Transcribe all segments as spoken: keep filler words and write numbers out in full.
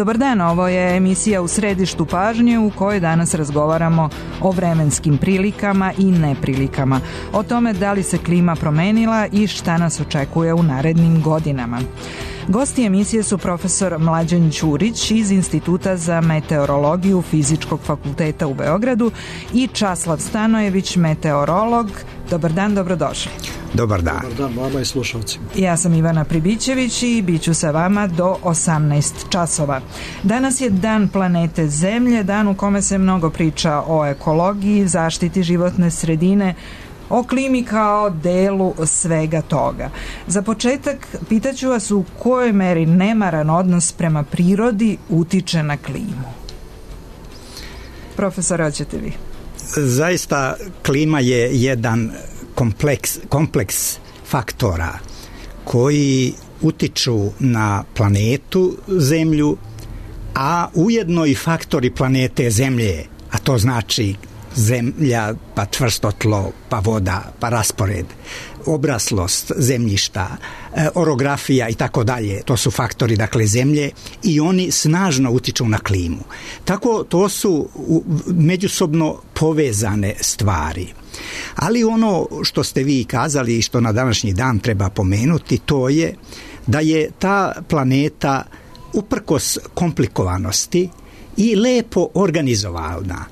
Dobar dan, ovo je emisija U središtu pažnje u kojoj danas razgovaramo o vremenskim prilikama i neprilikama, o tome da li se klima promenila i šta nas očekuje u narednim godinama. Gosti emisije su profesor Mlađan Ćurić iz Instituta za meteorologiju Fizičkog fakulteta u Beogradu i Časlav Stanojević, meteorolog. Dobar dan, dobrodošli. Dobar dan. Dobar dan vama i slušalcima. Ja sam Ivana Pribićević i bit ću sa vama do osamnaest časova. Danas je Dan planete Zemlje, dan u kome se mnogo priča o ekologiji, zaštiti životne sredine, o klimi kao delu svega toga. Za početak pitaću vas u kojoj meri nemaran odnos prema prirodi utiče na klimu. Profesor, hoćete vi? Zaista klima je jedan kompleks, kompleks faktora koji utiču na planetu Zemlju, a ujedno i faktori planete Zemlje, a to znači zemlja, pa čvrsto tlo, pa voda, pa raspored, obraslost zemljišta, orografija i tako dalje. To su faktori, dakle, zemlje i oni snažno utiču na klimu. Tako to su međusobno povezane stvari. Ali ono što ste vi kazali i što na današnji dan treba pomenuti, to je da je ta planeta uprkos komplikovanosti i lepo organizovana.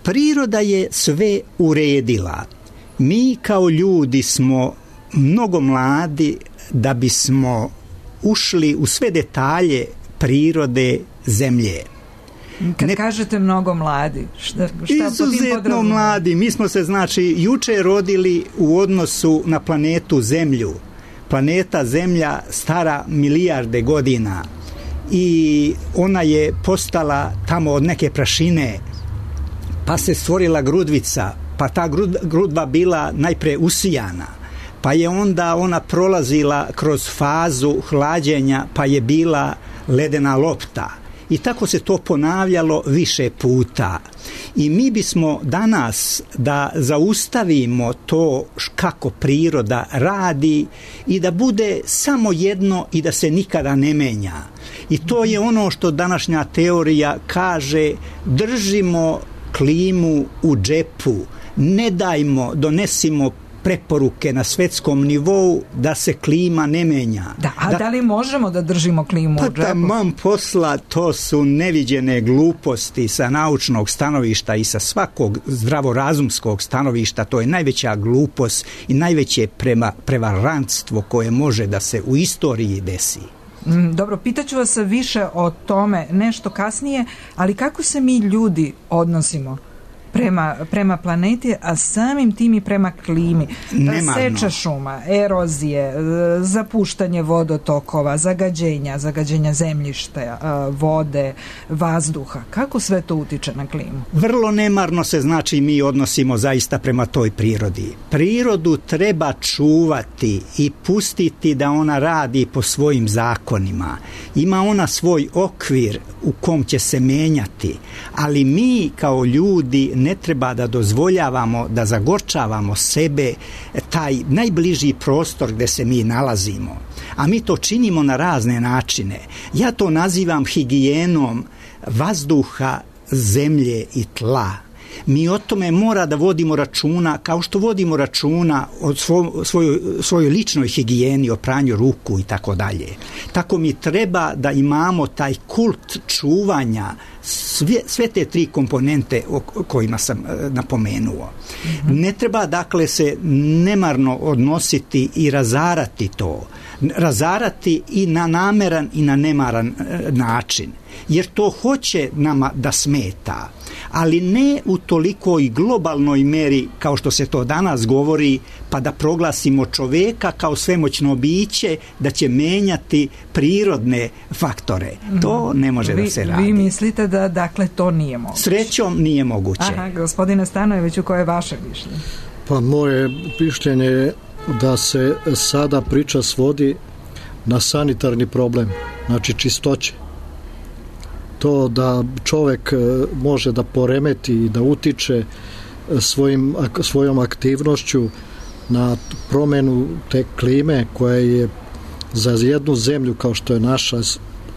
Priroda je sve uredila. Mi kao ljudi smo mnogo mladi da bismo ušli u sve detalje prirode Zemlje. Kad ne, kažete mnogo mladi, šta, šta izuzetno mladi. Mi smo se, znači, juče rodili u odnosu na planetu Zemlju. Planeta Zemlja stara milijarde godina i ona je postala tamo od neke prašine, pa se stvorila grudvica, pa ta grudva bila najpre usijana, pa je onda ona prolazila kroz fazu hlađenja, pa je bila ledena lopta. I tako se to ponavljalo više puta. I mi bismo danas da zaustavimo to kako priroda radi i da bude samo jedno i da se nikada ne menja. I to je ono što današnja teorija kaže: držimo klimu u džepu, ne dajmo, donesimo preporuke na svetskom nivou da se klima ne menja. Da, a da, da li možemo da držimo klimu pa u džepu? Pa taman posla, to su neviđene gluposti sa naučnog stanovišta i sa svakog zdravorazumskog stanovišta. To je najveća glupost i najveće prema, prevarantstvo koje može da se u istoriji desi. Dobro, pitaću vas više o tome nešto kasnije, ali kako se mi ljudi odnosimo prema, prema planeti, a samim tim i prema klimi? Nemarno. Seča šuma, erozije, zapuštanje vodotokova, zagađenja, zagađenja zemljišta, vode, vazduha. Kako sve to utiče na klimu? Vrlo nemarno se, znači, mi odnosimo zaista prema toj prirodi. Prirodu treba čuvati i pustiti da ona radi po svojim zakonima. Ima ona svoj okvir u kom će se menjati, ali mi kao ljudi ne treba da dozvoljavamo da zagorčavamo sebe, taj najbliži prostor gde se mi nalazimo. A mi to činimo na razne načine. Ja to nazivam higijenom vazduha, zemlje i tla. Mi o tome mora da vodimo računa kao što vodimo računa o svo, svojoj, svojoj ličnoj higijeni, o pranju ruku i tako dalje. Tako mi treba da imamo taj kult čuvanja sve, sve te tri komponente o kojima sam napomenuo. Mm-hmm. Ne treba, dakle, se nemarno odnositi i razarati to. Razarati i na nameran i na nemaran način. Jer to hoće nama da smeta, ali ne u tolikoj globalnoj meri kao što se to danas govori, pa da proglasimo čoveka kao svemoćno biće da će menjati prirodne faktore. To ne može vi, da se radi. Vi mislite da, dakle, to nije moguće? Srećom nije moguće. Aha, gospodine Stanojeviću, koje je vaše mišljenje? Pa moje mišljenje je da se sada priča svodi na sanitarni problem, znači čistoće. To da čovek može da poremeti i da utiče svojim, svojom aktivnošću na promenu te klime koja je za jednu zemlju kao što je naša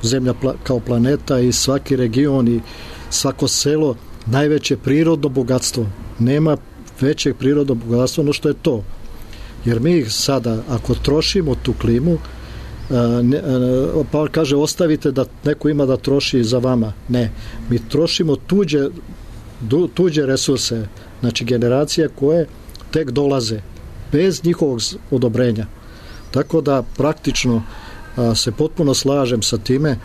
zemlja kao planeta i svaki region i svako selo najveće prirodno bogatstvo. Nema većeg prirodnog bogatstva no što je to. Jer mi sada, ako trošimo tu klimu, ne, pa kaže ostavite da neko ima da troši za vama. Ne, mi trošimo tuđe, tuđe resurse, znači generacije koje tek dolaze bez njihovog odobrenja. Tako da praktično a, se potpuno slažem sa time,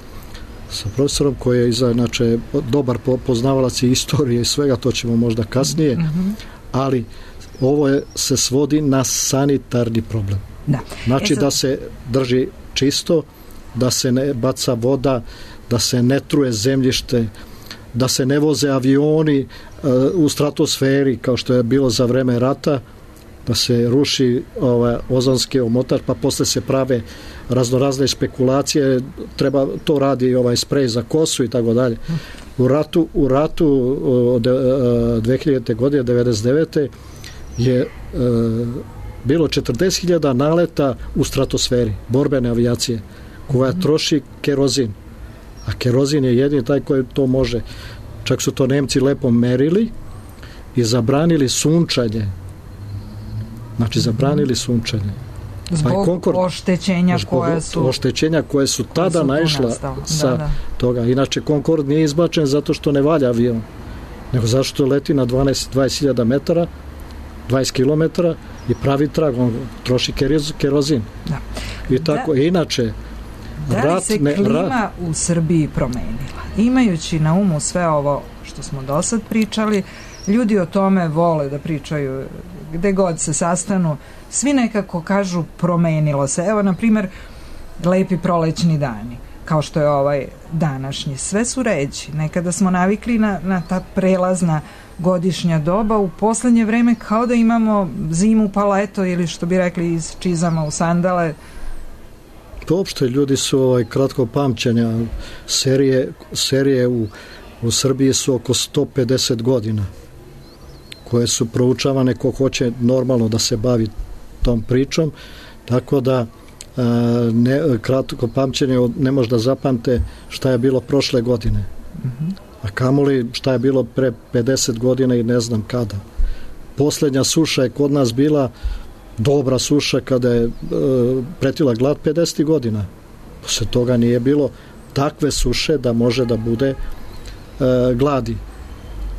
sa profesorom koji je iza, znači, dobar poznavalac i istorije i svega, to ćemo možda kasnije, mm-hmm. ali ovo je, se svodi na sanitarni problem. Da. Znači e sad... da se drži čisto, da se ne baca voda, da se ne truje zemljište, da se ne voze avioni uh, u stratosferi kao što je bilo za vreme rata, da se ruši ovaj, ozonski omotač, pa posle se prave raznorazne spekulacije, treba, to radi ovaj sprej za kosu i tako dalje. U ratu, u ratu od dve hiljadite godine, devedeset devete je uh, bilo četrdeset hiljada naleta u stratosferi, borbene avijacije, koja troši kerozin. A kerozin je jedini taj koji to može. Čak su to Nemci lepo merili i zabranili sunčanje. Znači, zabranili sunčanje. Zbog pa Concord, oštećenja koje su... Oštećenja koje su tada su naišla sa da, da. toga. Inače, Concord nije izbačen zato što ne valja avion, nego zato što leti na dvanaest do dvadeset hiljada metara, dvadeset kilometara i pravi trag, on troši kerozin. Da. I tako, da, inače... Da li se ne, klima rat... u Srbiji promenila? Imajući na umu sve ovo što smo do sad pričali, ljudi o tome vole da pričaju gde god se sastanu, svi nekako kažu promenilo se. Evo, na primjer, lepi prolećni dani, kao što je ovaj današnji. Sve su ređi. Nekada smo navikli na, na ta prelazna godišnja doba, u poslednje vreme kao da imamo zimu pa leto, ili što bi rekli iz čizama u sandale. Uopšte ljudi su ovaj, kratko pamćenja. Serije, serije u, u Srbiji su oko sto pedeset godina, koje su proučavane ko hoće normalno da se bavi tom pričom, tako da a, ne, kratko pamćenje ne može da zapamte šta je bilo prošle godine. Mm-hmm. A kamoli šta je bilo pre pedeset godina i ne znam kada. Poslednja suša je kod nas bila dobra suša kada je e, pretila glad pedeset godina. Posle toga nije bilo takve suše da može da bude e, gladi.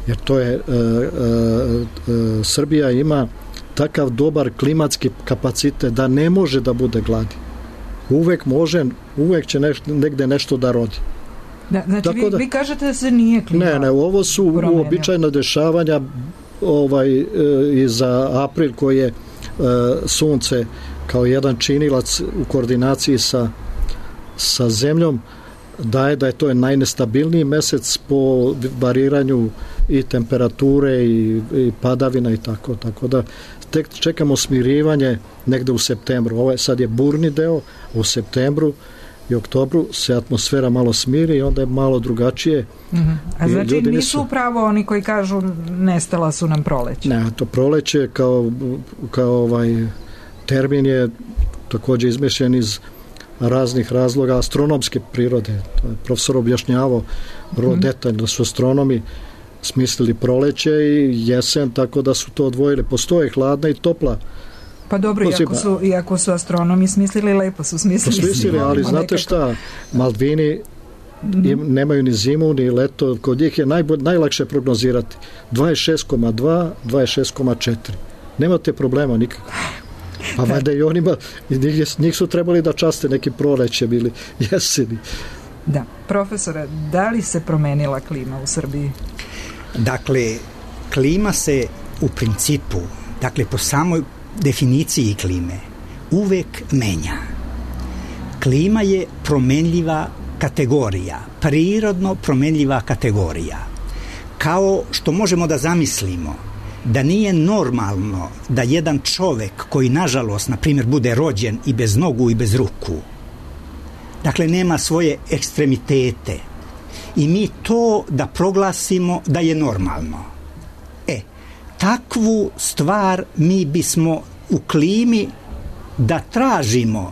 Jer to je e, e, e, Srbija ima takav dobar klimatski kapacitet da ne može da bude gladi. Uvek može, uvek će neš, negde nešto da rodi. Da, znači vi, da, vi kažete da se nije klima Ne, ne, ovo su uobičajena dešavanja ovaj, e, i za april koji je sunce kao jedan činilac u koordinaciji sa, sa zemljom daje da je to je najnestabilniji mesec po variranju i temperature i, i padavina i tako, tako da tek čekamo smirivanje negde u septembru. Ovo je, sad je burni deo, u septembru i oktobru se atmosfera malo smiri i onda je malo drugačije. Mm-hmm. A znači nisu, nisu upravo oni koji kažu nestala su nam proleće? Ne, to proleće kao, kao ovaj termin je takođe izmišljen iz raznih razloga astronomske prirode. To je profesor objašnjavao vrlo mm-hmm. detaljno da su astronomi smislili proleće i jesen, tako da su to odvojili. Postoje hladna i topla. Pa dobro, iako su, iako su astronomi smislili, lepo su smislili. Smislili, ali znate nekako. Šta, Malvini mm-hmm. nemaju ni zimu, ni leto, kod njih je najbolj, najlakše prognozirati. dvadeset šest zarez dva, dvadeset šest zarez četiri. Nemate problema nikako. Pa valjda i onima, njih, njih su trebali da časte neki proleće bili jeseni. Da, profesore, da li se promenila klima u Srbiji? Dakle, klima se u principu, dakle po samoj definiciji klime, uvek menja. Klima je promenljiva kategorija, prirodno promenljiva kategorija. Kao što možemo da zamislimo da nije normalno da jedan čovek koji nažalost, na primjer, bude rođen i bez nogu i bez ruku, dakle nema svoje ekstremitete, i mi to da proglasimo da je normalno. E, takvu stvar mi bismo u klimi da tražimo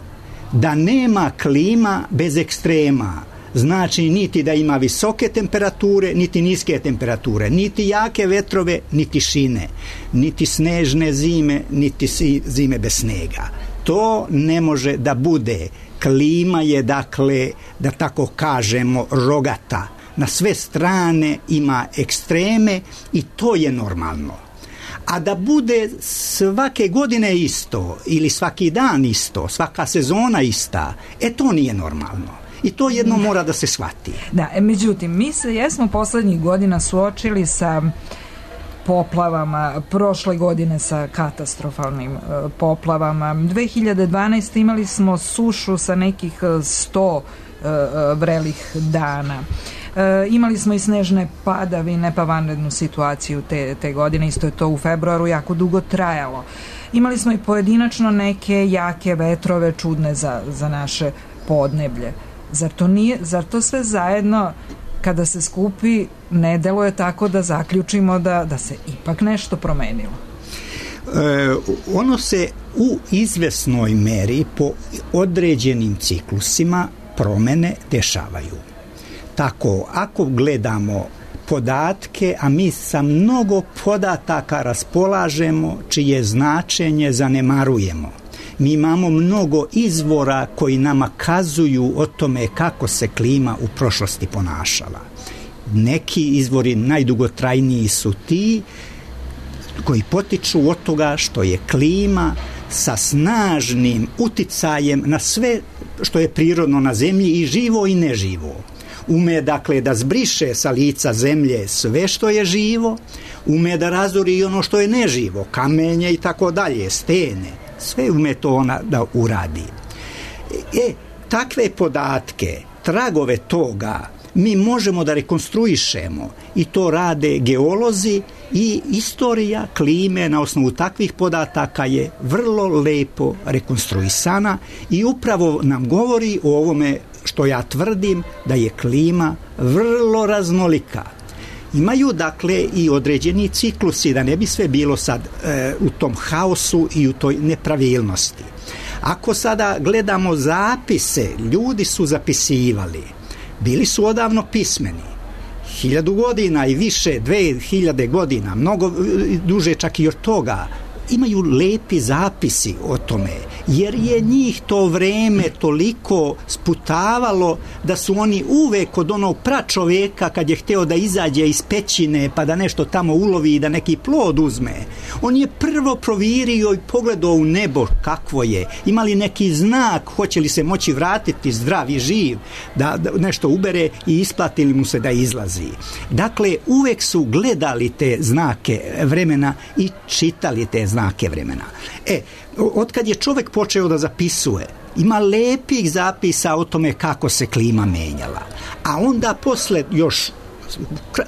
da nema klima bez ekstrema, znači niti da ima visoke temperature, niti niske temperature, niti jake vetrove, niti šine, niti snežne zime, niti zime bez snega. To ne može da bude. Klima je, dakle, da tako kažemo, rogata. Na sve strane ima ekstreme i to je normalno. A da bude svake godine isto ili svaki dan isto, svaka sezona ista, e to nije normalno. I to jedno mora da se shvati. Da, međutim, mi se jesmo poslednjih godina suočili sa poplavama, prošle godine sa katastrofalnim uh, poplavama. dve hiljade dvanaeste. imali smo sušu sa nekih sto uh, vrelih dana. E, imali smo i snežne padavine, pa vanrednu situaciju te, te godine, isto je to u februaru jako dugo trajalo. Imali smo i pojedinačno neke jake vetrove čudne za, za naše podneblje. Zar to, nije, zar to sve zajedno kada se skupi ne deluje tako da zaključimo da, da se ipak nešto promenilo? E, ono se u izvesnoj meri po određenim ciklusima promene dešavaju. Tako, ako gledamo podatke, a mi sa mnogo podataka raspolažemo čije značenje zanemarujemo. Mi imamo mnogo izvora koji nama kazuju o tome kako se klima u prošlosti ponašala. Neki izvori najdugotrajniji su ti koji potiču od toga što je klima sa snažnim uticajem na sve što je prirodno na zemlji, i živo i neživo. Ume, dakle, da zbriše sa lica zemlje sve što je živo, ume da razori i ono što je neživo, kamenje i tako dalje, stene, sve ume to ona da uradi. E, takve podatke, tragove toga, mi možemo da rekonstruišemo, i to rade geolozi, i istorija klime na osnovu takvih podataka je vrlo lepo rekonstruisana i upravo nam govori o ovome što ja tvrdim, da je klima vrlo raznolika. Imaju, dakle, i određeni ciklusi, da ne bi sve bilo sad e, u tom haosu i u toj nepravilnosti. Ako sada gledamo zapise, ljudi su zapisivali, bili su odavno pismeni, hiljadu godina i više, dve hiljade godina, mnogo duže čak i od toga, imaju lepi zapisi o tome, jer je njih to vreme toliko sputavalo da su oni uvek od onog pračoveka, kad je hteo da izađe iz pećine pa da nešto tamo ulovi i da neki plod uzme, on je prvo provirio i pogledao u nebo kakvo je, imali neki znak, hoće li se moći vratiti zdrav i živ, da, da nešto ubere, i isplatili mu se da izlazi. Dakle, uvek su gledali te znake vremena i čitali te znake znake vremena. E, otkad je čovek počeo da zapisuje, ima lepih zapisa o tome kako se klima menjala. A onda posle još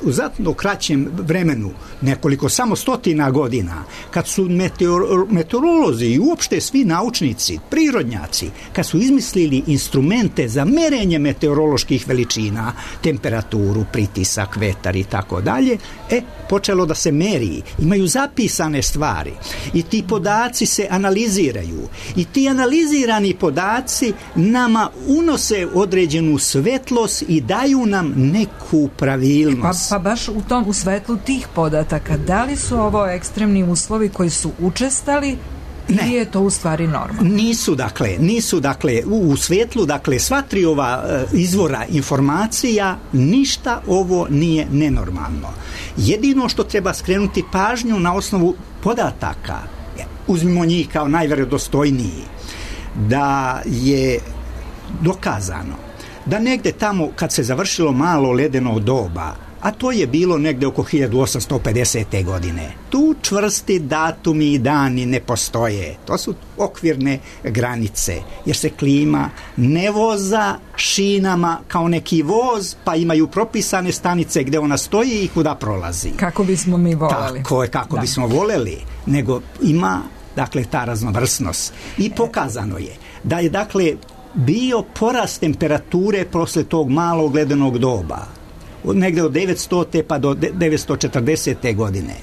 u znatno kraćem vremenu, nekoliko samo stotina godina, kad su meteor, meteorolozi i uopšte svi naučnici, prirodnjaci, kad su izmislili instrumente za merenje meteoroloških veličina, temperaturu, pritisak, vetar i tako dalje, e, počelo da se meri. Imaju zapisane stvari i ti podaci se analiziraju. I ti analizirani podaci nama unose određenu svetlost i daju nam neku pravilnost. Pa, pa baš u tom, u svetlu tih podataka, da li su ovo ekstremni uslovi koji su učestali Ne. Ili je to u stvari normalno? Nisu, dakle, nisu, dakle, u, u svetlu, dakle, sva tri ova e, izvora informacija, ništa ovo nije nenormalno. Jedino što treba skrenuti pažnju na osnovu podataka, uzmimo njih kao najvjerodostojniji, da je dokazano da negde tamo kad se završilo malo ledeno doba, a to je bilo negde oko hiljadu osamsto pedesete. godine. Tu čvrsti datumi i dani ne postoje. To su okvirne granice, jer se klima ne voza šinama kao neki voz, pa imaju propisane stanice gde ona stoji i kuda prolazi. Kako bismo mi voleli. Tako je, kako da. bismo voleli, nego ima, dakle, ta raznovrsnost. I pokazano je da je, dakle, bio porast temperature posle tog malog ledenog doba, negde od devetstote pa do devetsto četrdesete. godine.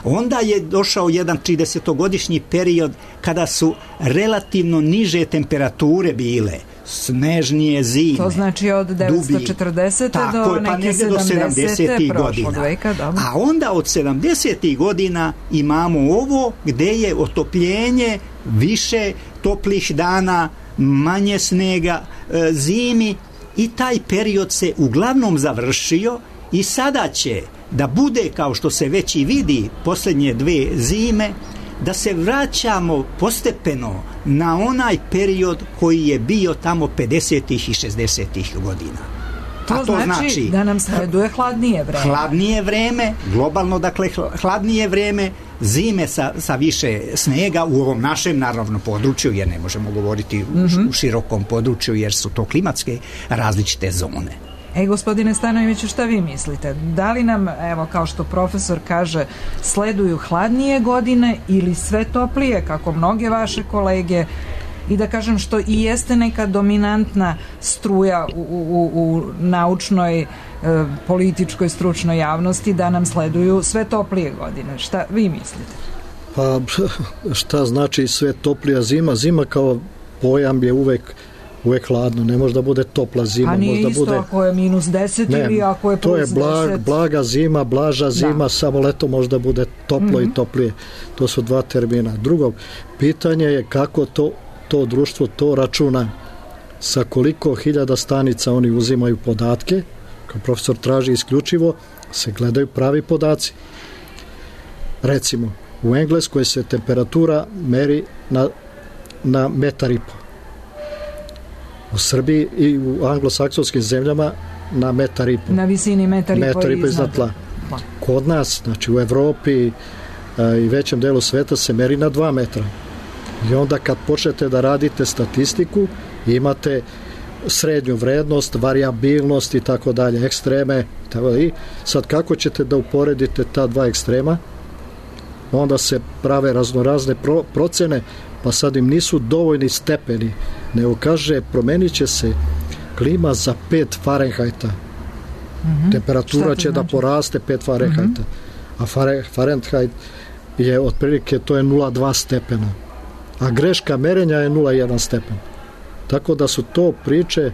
Onda je došao jedan tridesetogodišnji period kada su relativno niže temperature bile, snežnije zime. To znači od devetsto četrdesete do neke sedamdesete prošlog veka. Dobro. A onda od sedamdesetih godina imamo ovo gde je otopljenje, više toplih dana, manje snega, e, zimi, i taj period se uglavnom završio i sada će da bude, kao što se već i vidi posljednje dve zime, da se vraćamo postepeno na onaj period koji je bio tamo pedesetih i šezdesetih godina. To, to znači, znači da nam sleduje hladnije vreme. Hladnije vreme, globalno dakle hladnije vreme, zime sa, sa više snega u ovom našem naravno području, jer ne možemo govoriti mm-hmm. u širokom području, jer su to klimatske različite zone. E, gospodine Stanojeviću, šta vi mislite? Da li nam, evo, kao što profesor kaže, sleduju hladnije godine ili sve toplije, kako mnoge vaše kolege, i da kažem što i jeste neka dominantna struja u, u, u naučnoj, e, političkoj, stručnoj javnosti, da nam sleduju sve toplije godine? Šta vi mislite? Pa, šta znači sve toplija zima? Zima kao pojam je uvek uvek hladno, ne može da bude topla zima. A nije možda isto bude... ako je minus deset ne, ili ako je plus deset. To je blag, blaga zima, blaža zima, da. Samo leto možda bude toplo mm-hmm. i toplije. To su dva termina. Drugo, pitanje je kako to, to društvo to računa, sa koliko hiljada stanica oni uzimaju podatke, kao profesor traži isključivo, se gledaju pravi podaci. Recimo, u Engleskoj se temperatura meri na, na metar i po. U Srbiji i u anglosaksonskim zemljama na metar i po. Na visini metar i po, metar i po iznad tla. Kod nas, znači u Evropi a, i većem delu sveta se meri na dva metra. I onda kad počnete da radite statistiku, imate srednju vrednost, variabilnost i tako dalje, ekstreme. Tako da, i sad kako ćete da uporedite ta dva ekstrema? Onda se prave raznorazne pro, procene, pa sad im nisu dovoljni stepeni, nego kaže promenit će se klima za pet Fahrenheita. Mm-hmm. Temperatura će znači? da poraste pet Fahrenheita. Mm-hmm. A Fahrenheit je otprilike, to je nula zarez dva stepena. A greška merenja je nula zarez jedan stepen. Tako da su to priče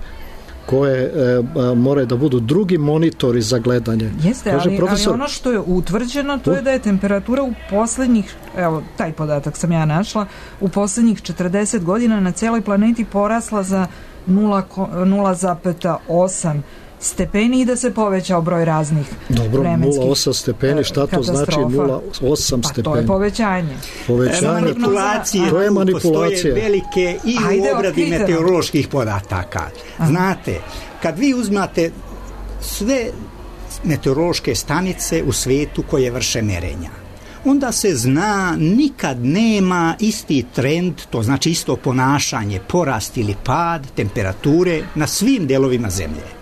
koje e, moraju da budu drugi monitori za gledanje. Jeste, kaže, ali, profesor, ali ono što je utvrđeno, to je da je temperatura u poslednjih, evo, taj podatak sam ja našla, u poslednjih četrdeset godina na celoj planeti porasla za nula zarez osam stepeni i da se povećao broj raznih Dobro, vremenskih nula zarez osam stepeni, šta to znači nula zarez osam stepeni? Pa to je povećanje. Povećanje. Manipulacije, to je manipulacija. Postoje velike i Ajde, u obradi okriteno. meteoroloških podataka. Aha. Znate, kad vi uzmate sve meteorološke stanice u svetu koje vrše merenja, onda se zna, nikad nema isti trend, to znači isto ponašanje, porast ili pad temperature na svim delovima zemlje.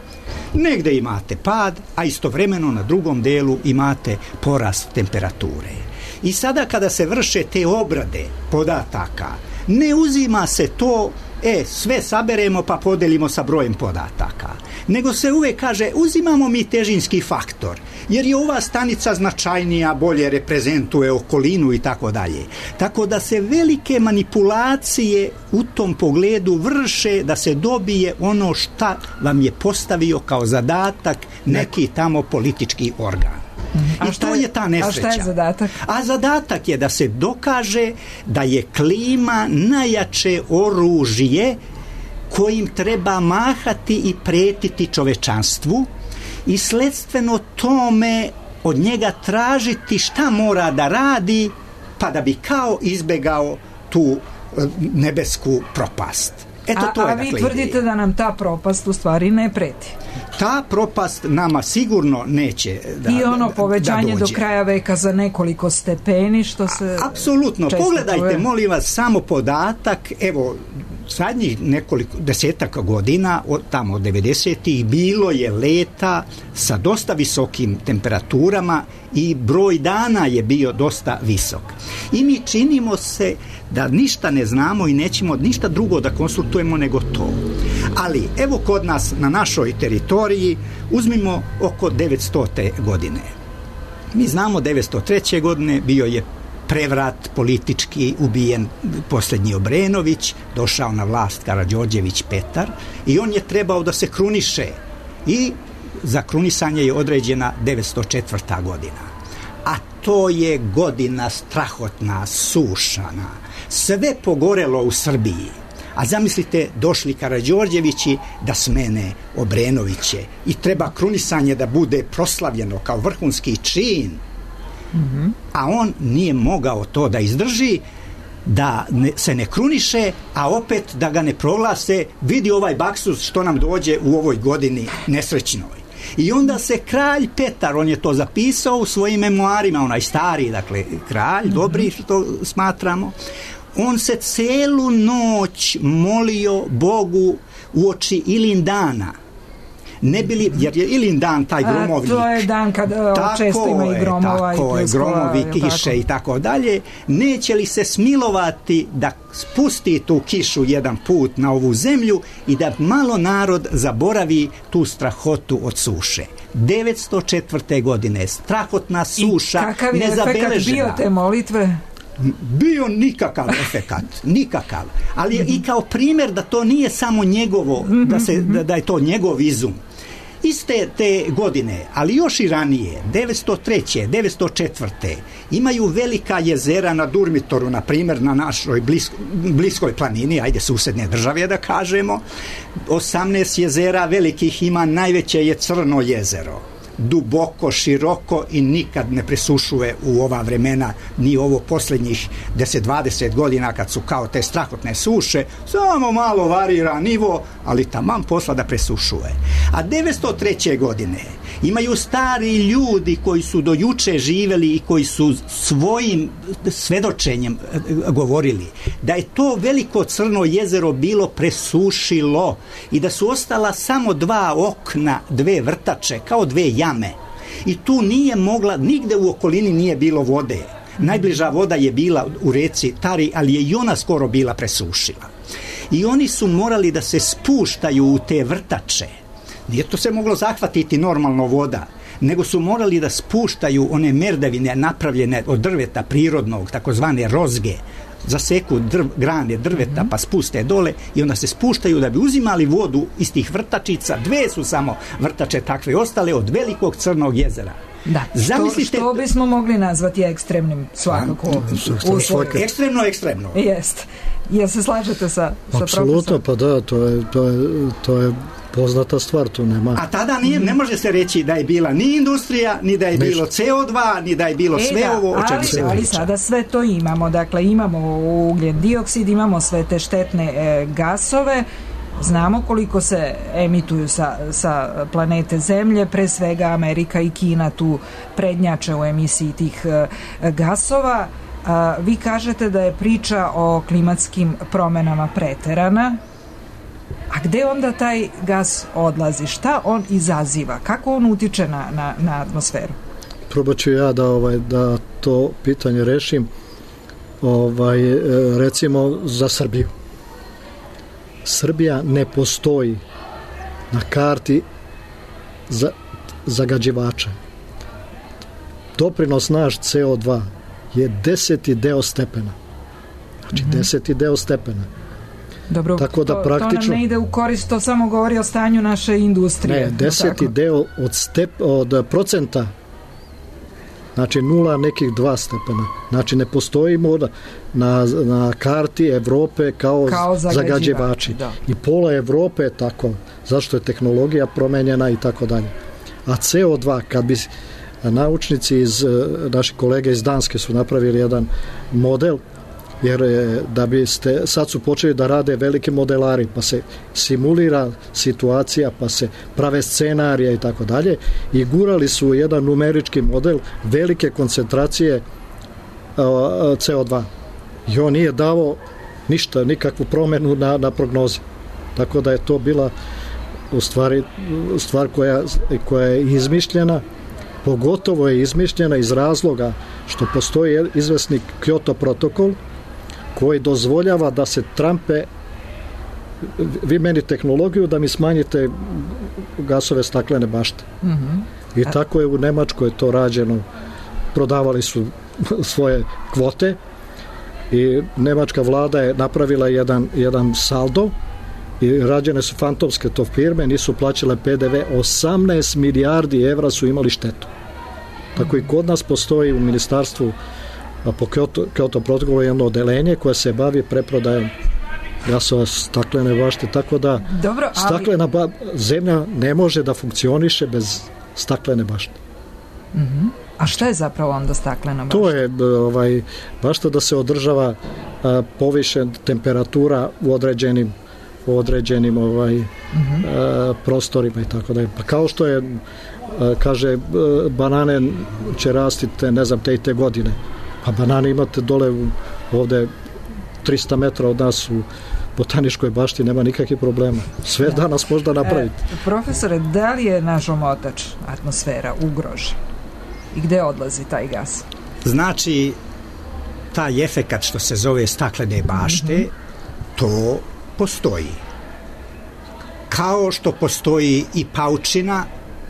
Negde imate pad, a istovremeno na drugom delu imate porast temperature. I sada kada se vrše te obrade podataka, ne uzima se to, e, sve saberemo pa podelimo sa brojem podataka, nego se uvek kaže, uzimamo mi težinski faktor, jer je ova stanica značajnija, bolje reprezentuje okolinu i tako dalje. Tako da se velike manipulacije u tom pogledu vrše da se dobije ono šta vam je postavio kao zadatak neki tamo politički organ. A I to je, je ta nesreća. A šta je zadatak? A zadatak je da se dokaže da je klima najjače oružje kojim treba mahati i pretiti čovečanstvu i sledstveno tome od njega tražiti šta mora da radi pa da bi kao izbegao tu nebesku propast. Eto, a, to je, a vi dakle, tvrdite ideja. Da nam ta propast u stvari ne preti. Ta propast nama sigurno neće da I ono povećanje da do kraja veka za nekoliko stepeni, što se... Apsolutno. Pogledajte, čuje. molim vas, samo podatak, evo, zadnjih nekoliko desetak godina, od tamo od devedesetih, bilo je leta sa dosta visokim temperaturama i broj dana je bio dosta visok. I mi činimo se da ništa ne znamo i nećemo ništa drugo da konsultujemo nego to. Ali, evo kod nas, na našoj teritoriji, uzmimo oko devetstote godine. Mi znamo devetsto treće godine bio je prevrat politički, ubijen posljednji Obrenović, došao na vlast Karađorđević Petar i on je trebao da se kruniše i za krunisanje je određena devetsto četvrta godina. A to je godina strahotna, sušana, sve pogorelo u Srbiji. A zamislite, došli Karađorđevići da smene Obrenoviće i treba krunisanje da bude proslavljeno kao vrhunski čin. Mm-hmm. A on nije mogao to da izdrži, da ne, se ne kruniše, a opet da ga ne proglase, vidi ovaj baksus što nam dođe u ovoj godini nesrećnoj. I onda se kralj Petar, on je to zapisao u svojim memoarima, onaj stari, dakle, kralj, mm-hmm. dobri što smatramo, on se celu noć molio Bogu uoči Ilindana. Ne bili, jer je Ilindan taj gromovnik. A to je dan kad tako često ima i gromova je, tako i pljuskova, gromovi, kiše tako? I tako dalje. Neće li se smilovati da spusti tu kišu jedan put na ovu zemlju i da malo narod zaboravi tu strahotu od suše. devetsto četvrte godine strahotna suša nezabeležena. I kakav je efekat bio te molitve? Bio nikakav efekat, nikakav, ali je i kao primjer da to nije samo njegovo, da, se, da, da je to njegov izum. Iste te godine, ali još i ranije, devetsto treće, devetsto četvrte imaju velika jezera na Durmitoru, na primjer na našoj blisko, bliskoj planini, ajde susedne države da kažemo, osamnaest jezera velikih ima, najveće je Crno jezero. Duboko, široko i nikad ne presušuje u ova vremena, ni ovo posljednjih deset dvadeset godina kad su kao te strahotne suše, samo malo varira nivo, ali taman posla da presušuje. A devetsto treće godine imaju stari ljudi koji su do juče živeli i koji su svojim svedočenjem govorili da je to veliko Crno jezero bilo presušilo i da su ostala samo dva okna, dve vrtače, kao dve jame. I tu nije mogla, nigde u okolini nije bilo vode. Najbliža voda je bila u reci Tari, ali je i ona skoro bila presušila. I oni su morali da se spuštaju u te vrtače. Nije to se moglo zahvatiti normalno voda, nego su morali da spuštaju one merdevine napravljene od drveta prirodnog, takozvane rozge, zaseku drv, grane drveta pa spuste dole i onda se spuštaju da bi uzimali vodu iz tih vrtačica. Dve su samo vrtače takve ostale od velikog Crnog jezera. Da, Zamislite, što, što bismo mogli nazvati ekstremnim svakako. A, ekstremno, ekstremno. Jest. Jel se slažete sa, sa apsolutno, pa da, to je, to je, to je poznata stvar, tu nema. A tada nije, ne može se reći da je bila ni industrija, ni da je Neš. bilo ce o dva, ni da je bilo e, sve da, ovo o čemu se ali priča. Sada sve to imamo, dakle imamo ugljen dioksid, imamo sve te štetne e, gasove, znamo koliko se emituju sa, sa planete Zemlje, pre svega Amerika i Kina tu prednjače u emisiji tih e, gasova. A, vi kažete da je priča o klimatskim promenama preterana. A gde onda taj gas odlazi? Šta on izaziva? Kako on utiče na, na, na atmosferu? Probat ću ja da, ovaj, da to pitanje rešim. Ovaj, recimo za Srbiju. Srbija ne postoji na karti za, zagađivača. Doprinos naš ce o dva je deseti deo stepena. Znači mm-hmm. deseti deo stepena. Dobro, tako da to, praktično, to nam ne ide u korist, to samo govori o stanju naše industrije. Ne, deseti tako? deo od, step, od procenta, znači nula nekih dva stepena. Znači ne postojimo na, na karti Evrope kao, kao zagađivači. Da. I pola Evrope je tako, zašto je tehnologija promenjena i tako dalje. A ce o dva, kad bi naučnici iz, naši kolege iz Danske su napravili jedan model, jer da biste, sad su počeli da rade veliki modelari, pa se simulira situacija, pa se prave scenarije i tako dalje, i gurali su jedan numerički model velike koncentracije ce o dva i on nije dao ništa, nikakvu promenu na, na prognozi, tako da je to bila u stvari stvar koja, koja je izmišljena. Pogotovo je izmišljena iz razloga što postoji izvesni Kyoto protokol koji dozvoljava da se trampe, vi meni tehnologiju da mi smanjite gasove staklene bašte. Mm-hmm. I tako je u Nemačkoj to rađeno prodavali su svoje kvote i nemačka vlada je napravila jedan, jedan saldo i rađene su fantomske to firme, nisu plaćale P D V, osamnaest milijardi evra su imali štetu. Tako i kod nas postoji u ministarstvu po Kyoto, Kyoto protokolu jedno odelenje koje se bavi preprodajom gasova staklene bašte, tako da Dobro, ali... staklena ba... zemlja ne može da funkcioniše bez staklene bašte. Uh-huh. A šta je zapravo onda staklena bašta? To je ovaj, bašta da se održava a, povišen temperatura u određenim u određenim ovaj, uh-huh. a, prostorima i tako da je. Pa kao što je a, kaže a, banane će rasti te, ne znam, te i te godine. Pa banane imate dole ovde trista metra od nas u botaničkoj bašti, nema nikakvih problema. Sve da. danas možda napraviti. E, profesore, da li je naš omotač atmosfera ugrožen? I gde odlazi taj gas? Znači, taj efekat što se zove staklene bašte, mm-hmm. to postoji. Kao što postoji i paučina,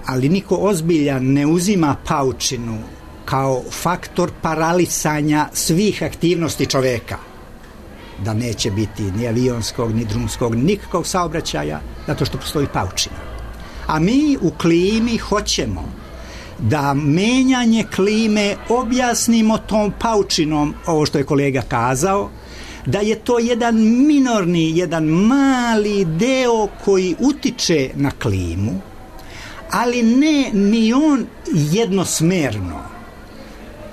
ali niko ozbiljan ne uzima paučinu kao faktor paralisanja svih aktivnosti čoveka. Da neće biti ni avionskog, ni drumskog, nikakvog saobraćaja, zato što postoji paučina. A mi u klimi hoćemo da menjanje klime objasnimo tom paučinom, ovo što je kolega kazao, da je to jedan minorni, jedan mali deo koji utiče na klimu, ali ne ni on jednosmerno.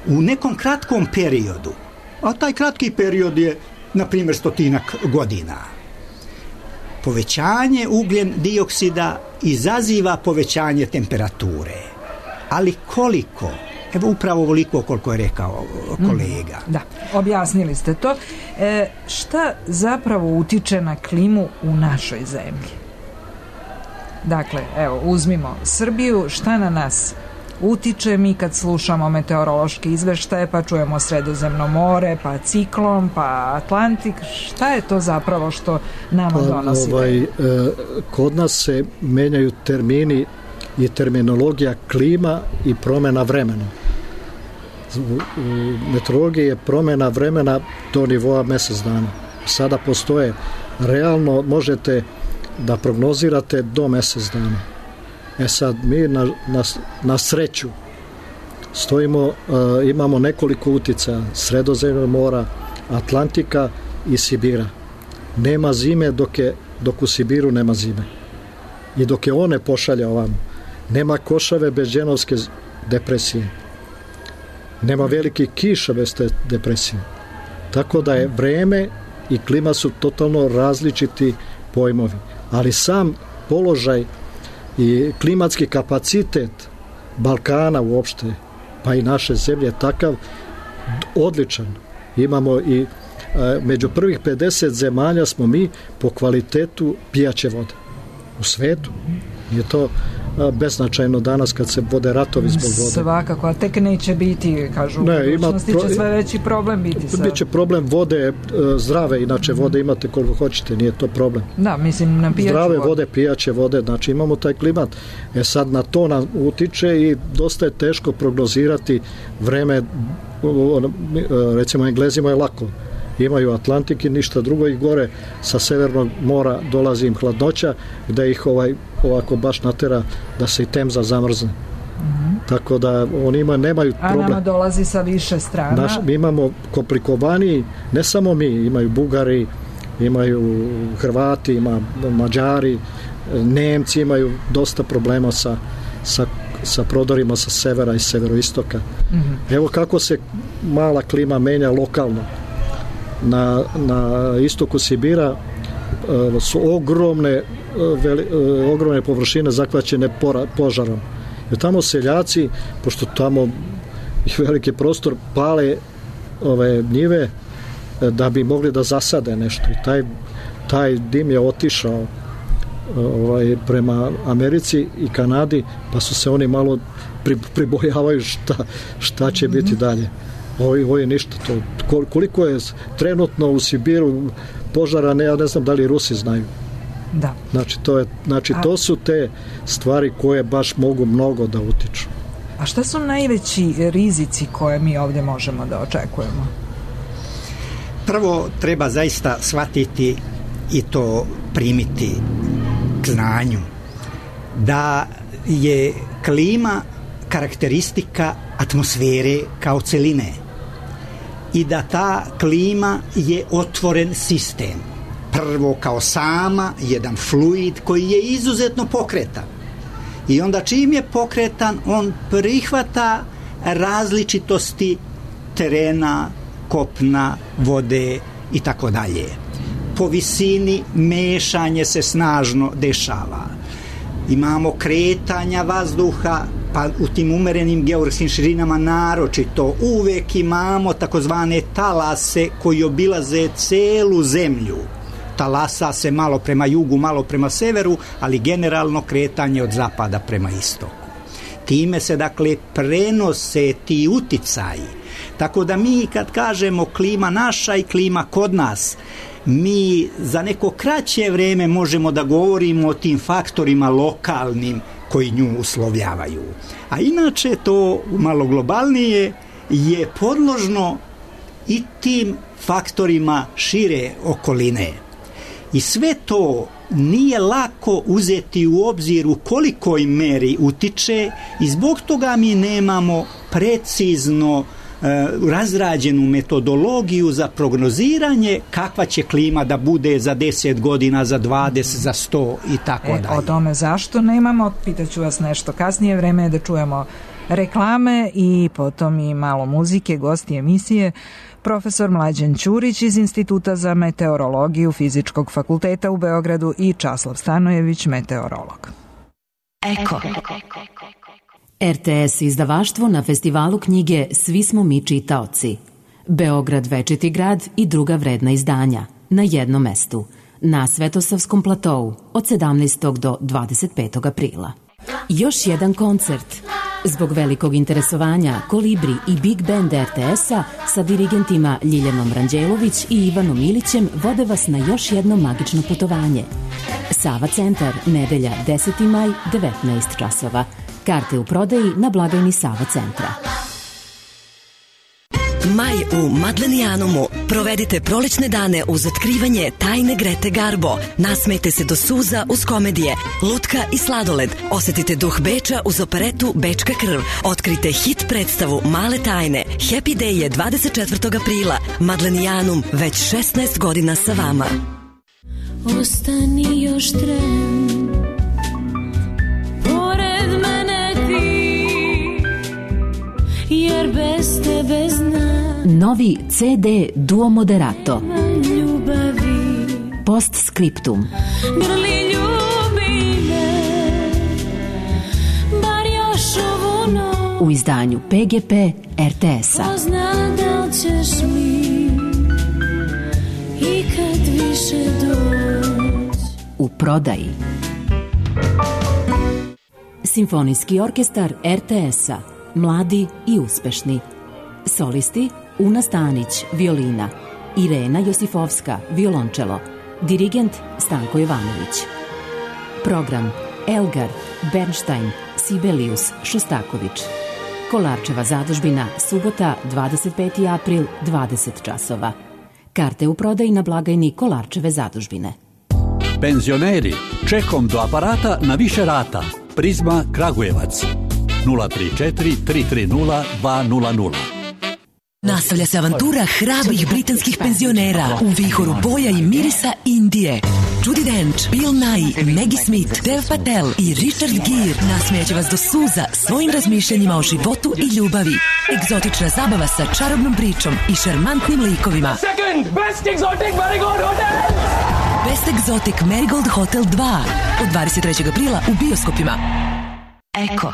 U nekom kratkom periodu, a taj kratki period je na primjer stotinak godina. Povećanje ugljen dioksida izaziva povećanje temperature. Ali koliko? Evo upravo ovoliko koliko je rekao kolega. Mm, da, objasnili ste to. E, šta zapravo utiče na klimu u našoj zemlji? Dakle, evo, uzmimo Srbiju, šta na nas utiče? Mi kad slušamo meteorološke izveštaje, pa čujemo Sredozemno more, pa ciklon, pa Atlantik, šta je to zapravo što nama donosi? Pa, ovaj, e, kod nas se menjaju termini i terminologija klima i promjena vremena. U, u meteorologiji je promjena vremena do nivoa mjesec dana. Sada postoje, realno možete da prognozirate do mjesec dana. E sad, mi na, na, na sreću stojimo, uh, imamo nekoliko uticaja, Sredozemnog mora, Atlantika i Sibira. Nema zime dok, je, dok u Sibiru nema zime. I dok je one pošalja ovamo. Nema košave bez dženovske depresije. Nema velike kiša bez te depresije. Tako da je vreme i klima su totalno različiti pojmovi. Ali sam položaj i klimatski kapacitet Balkana uopšte, pa i naše zemlje je takav odličan. Imamo i e, među prvih pedeset zemalja smo mi po kvalitetu pijaće vode u svetu. Je to beznačajno danas kad se vode ratovi zbog vode. Svakako, a tek neće biti, kažu, ne, u budućnosti pro... će sve veći problem biti. Sa... Biće problem vode zdrave, inače vode imate koliko hoćete, nije to problem. Da, mislim na pijaću zdrave vode. vode, pijaće vode, znači imamo taj klimat. E sad na to nam utiče i dosta je teško prognozirati vreme, recimo Englezima je lako. Imaju Atlantik i ništa drugo i gore sa severnog mora dolazi im hladnoća gde ih ovaj ovako baš natera da se i Temza zamrzne. Mm-hmm. Tako da oni ima, nemaju problem. A nama dolazi sa više strana. Naš, mi imamo komplikovaniji, ne samo mi, imaju Bugari, imaju Hrvati, ima Mađari, Nemci imaju dosta problema sa, sa, sa prodorima sa severa i severoistoka. Mm-hmm. Evo kako se mala klima menja lokalno. Na, na istoku Sibira uh, su ogromne uh, veli, uh, ogromne površine zahvaćene pora, požarom. Jer tamo seljaci, pošto tamo ih veliki prostor, pale ove njive uh, da bi mogli da zasade nešto. I taj, taj dim je otišao uh, ovaj, prema Americi i Kanadi, pa su se oni malo pri, pribojavaju šta, šta će mm-hmm. biti dalje. Ovo, ovo je ništa. To, koliko je trenutno u Sibiru požara, ne, ja ne znam da li Rusi znaju. Da. Znači, to, je, znači, to su te stvari koje baš mogu mnogo da utiču. A šta su najveći rizici koje mi ovdje možemo da očekujemo? Prvo treba zaista shvatiti i to primiti k znanju da je klima karakteristika atmosfere kao celine i da ta klima je otvoren sistem. Prvo kao sama jedan fluid koji je izuzetno pokretan i onda čim je pokretan on prihvata različitosti terena, kopna, vode i tako dalje. Po visini mešanje se snažno dešava. Imamo kretanja vazduha, pa u tim umerenim geografskim širinama naročito uvek imamo takozvane talase koji obilaze celu zemlju. Talasa se malo prema jugu, malo prema severu, ali generalno kretanje od zapada prema istoku. Time se dakle prenose ti uticaji. Tako da mi kad kažemo klima naša i klima kod nas, mi za neko kraće vreme možemo da govorimo o tim faktorima lokalnim koji nju uslovljavaju. A inače to malo globalnije je podložno i tim faktorima šire okoline. I sve to nije lako uzeti u obzir u kolikoj meri utiče i zbog toga mi nemamo precizno razrađenu metodologiju za prognoziranje kakva će klima da bude za deset godina, za dvadeset, za sto i tako e, dalje. O tome zašto nemamo, pitaću vas nešto kasnije, vreme je da čujemo reklame i potom i malo muzike. Gosti emisije profesor Mlađan Ćurić iz Instituta za meteorologiju Fizičkog fakulteta u Beogradu i Časlav Stanojević, meteorolog. Eko. R T S izdavaštvo na festivalu knjige Svi smo mi čitaoci. Beograd večiti grad i druga vredna izdanja na jednom mestu na Svetosavskom platou od sedamnaestog do dvadeset petog aprila. Još jedan koncert. Zbog velikog interesovanja Kolibri i Big Band R T S-a sa dirigentima Ljiljanom Ranđelović i Ivanom Ilićem vode vas na još jedno magično putovanje. Sava centar, nedelja deseti maj, devetnaest časova. Karte u prodaji na blagajni Sava centra. Maj u Madlenijanumu. Provedite prolećne dane uz otkrivanje tajne Grete Garbo. Nasmejte se do suza uz komedije, lutka i sladoled. Osetite duh Beča uz operetu Bečka krv. Otkrite hit predstavu Male tajne. Happy Day je dvadeset četvrtog aprila. Madlenijanum već šesnaest godina sa vama. Ostani još tren, pored mene ti, jer bez tebe znam. Novi C D Duo Moderato. Ljubavi. Postscriptum. Grli ljubi me, bar još ovu noć. U izdanju P G P R T S-a. Pozna da ćeš mi ikad više doći. U prodaji. Simfonijski orkestar R T S-a. Mladi i uspešni. Solisti Una Stanić, violina. Irena Josifovska, violončelo. Dirigent Stanko Jovanović. Program Elgar, Bernstein, Sibelius, Šostaković. Kolarčeva zadužbina, subota, dvadeset peti april, dvadeset časova. Karte u prodaji na blagajni Kolarčeve zadužbine. Penzioneri, čekom do aparata na više rata. Prizma Kragujevac. nula tri četiri tri tri nula dva nula nula. Nastavlja se avantura hrabrih britanskih penzionera u vihoru boja i mirisa Indije. Judi Dench, Bill Nighy, Maggie Smith, Dev Patel i Richard Gere nasmijaće vas do suza svojim razmišljanjima o životu i ljubavi. Egzotična zabava sa čarobnom pričom i šarmantnim likovima. Second Best Exotic Marigold Hotel! Best Exotic Marigold Hotel dva od dvadeset trećeg aprila u bioskopima. Eko.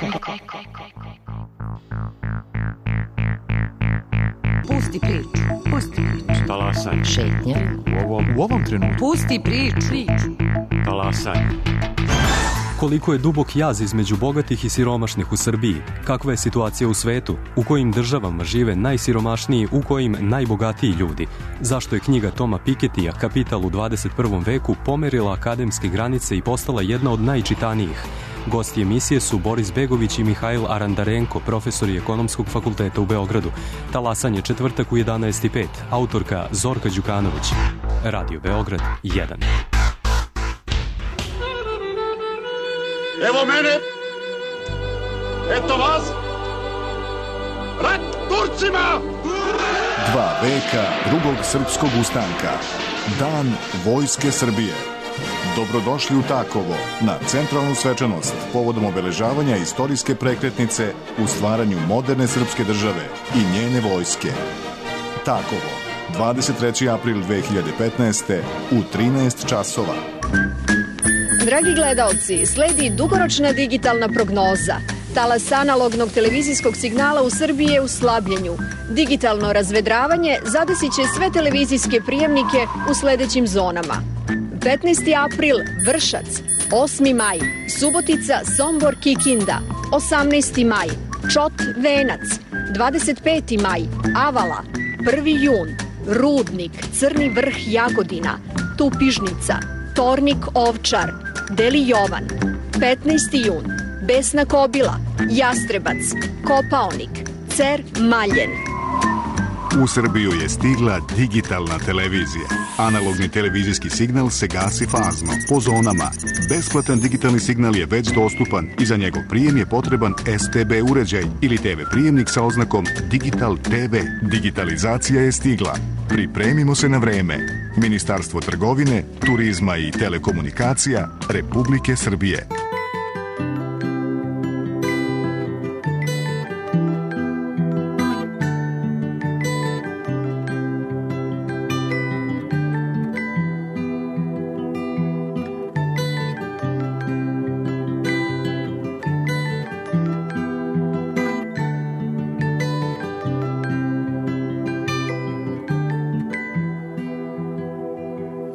Pusti priču, pusti priču. Talasaj. Šetnja. U ovom, u ovom trenutku. Pusti priču. Talasaj. Koliko je dubok jaz između bogatih i siromašnih u Srbiji? Kakva je situacija u svetu? U kojim državama žive najsiromašniji, u kojim najbogatiji ljudi? Zašto je knjiga Toma Piketija Kapital u dvadeset prvom veku pomerila akademske granice i postala jedna od najčitanijih? Gosti emisije su Boris Begović i Mihajl Arandarenko, profesori Ekonomskog fakulteta u Beogradu. Talasanje četvrtak u jedanaest i pet. Autorka Zorka Đukanović. Radio Beograd jedan. Evo mene, eto vas, rat Turcima! Dva veka drugog srpskog ustanka, Dan Vojske Srbije. Dobrodošli u Takovo na centralnu svečanost povodom obeležavanja istorijske prekretnice u stvaranju moderne srpske države i njene vojske. Takovo, dvadeset treći april dve hiljade petnaeste u trinaest časova. Dragi gledaoci, sledi dugoročna digitalna prognoza. Talas analognog televizijskog signala u Srbiji je u slabljenju. Digitalno razvedravanje zadesit će sve televizijske prijemnike u sledećim zonama. petnaesti april Vršac, osmi maj Subotica, Sombor, Kikinda, osamnaesti maj Čot, Venac, dvadeset peti maj Avala, prvi jun Rudnik, Crni Vrh, Jagodina, Tupižnica, Tornik, Ovčar, Deli Jovan, petnaesti jun Besna Kobila, Jastrebac, Kopaonik, Cer, Maljen. U Srbiju je stigla digitalna televizija. Analogni televizijski signal se gasi fazno, po zonama. Besplatan digitalni signal je već dostupan i za njegov prijem je potreban S T B uređaj ili T V prijemnik sa oznakom Digital T V. Digitalizacija je stigla. Pripremimo se na vreme. Ministarstvo trgovine, turizma i telekomunikacija Republike Srbije.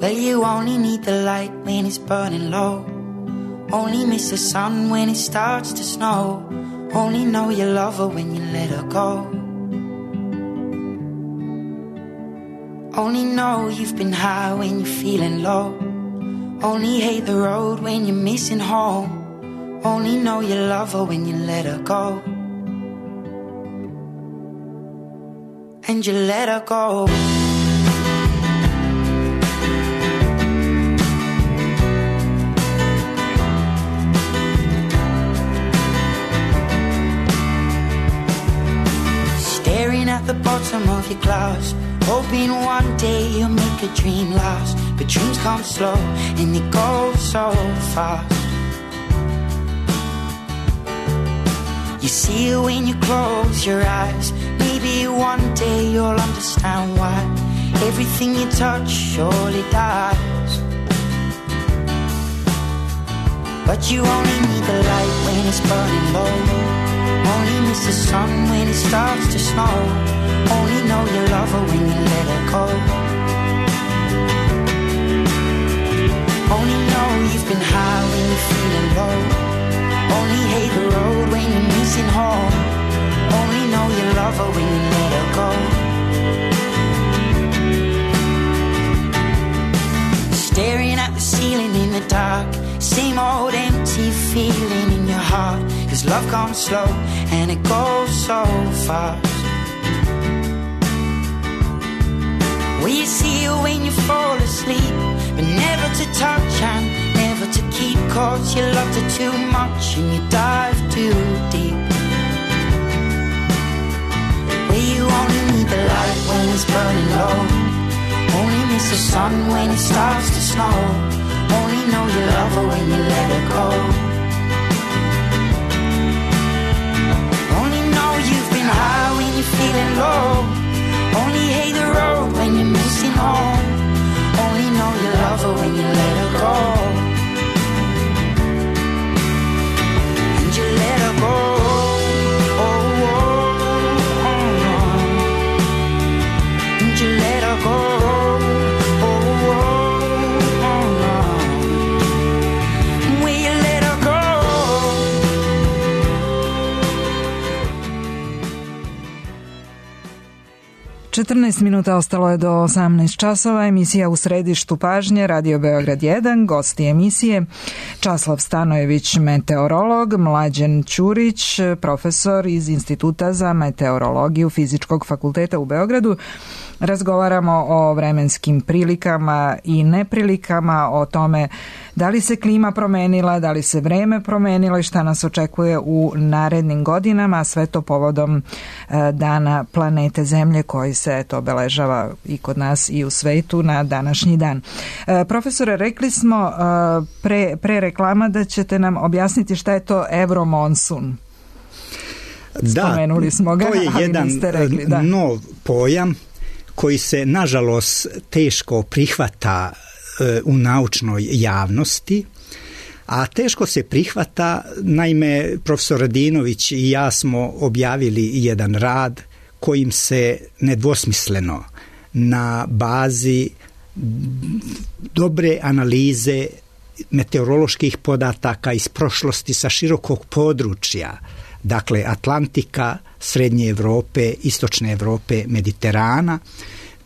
Well, you only need the light when it's burning low. Only miss the sun when it starts to snow. Only know you love her when you let her go. Only know you've been high when you're feeling low. Only hate the road when you're missing home. Only know you love her when you let her go. And you let her go. At the bottom of your glass, hoping one day you'll make a dream last. But dreams come slow and they go so fast. You see it when you close your eyes. Maybe one day you'll understand why everything you touch surely dies. But you only need the light when it's burning low. Only miss the sun when it starts to snow. Only know you love her when you let her go. Only know you've been high when you're feeling low. Only hate the road when you're missing home. Only know you love her when you let her go. Staring at the ceiling in the dark. Same old empty feeling in your heart. Cause love comes slow and it goes so fast. Well, you see her when you fall asleep, but never to touch and never to keep. Cause you loved her too much and you dive too deep. Well, you only need the light when it's burning low. Only miss the sun when it starts to snow. Only know you love her when you let her go. Only know you've been high when you're feeling low. Only hate the road when you're missing home. Only know you love her when you let her go. And you let her go. Oh, oh, oh, oh. And you let her go. Oh, oh, oh, oh. Will you let her go? četrnaest minuta ostalo je do osamnaest časova. Emisija U središtu pažnje, Radio Beograd jedan, gosti emisije Časlav Stanojević, meteorolog, Mlađan Ćurić, profesor iz Instituta za meteorologiju Fizičkog fakulteta u Beogradu. Razgovaramo o vremenskim prilikama i neprilikama, o tome da li se klima promenila, da li se vreme promenilo i šta nas očekuje u narednim godinama, a sve to povodom Dana planete Zemlje koji se eto obeležava i kod nas i u svetu na današnji dan. Profesore, rekli smo pre, pre reklama da ćete nam objasniti šta je to Evromonsun. Da, spomenuli smo ga, to je ali jedan niste rekli, da. nov pojam koji se nažalost teško prihvata e, u naučnoj javnosti, a teško se prihvata, naime profesor Radinović i ja smo objavili jedan rad kojim se nedvosmisleno na bazi dobre analize meteoroloških podataka iz prošlosti sa širokog područja, dakle Atlantika, Srednje Evrope, Istočne Evrope, Mediterana.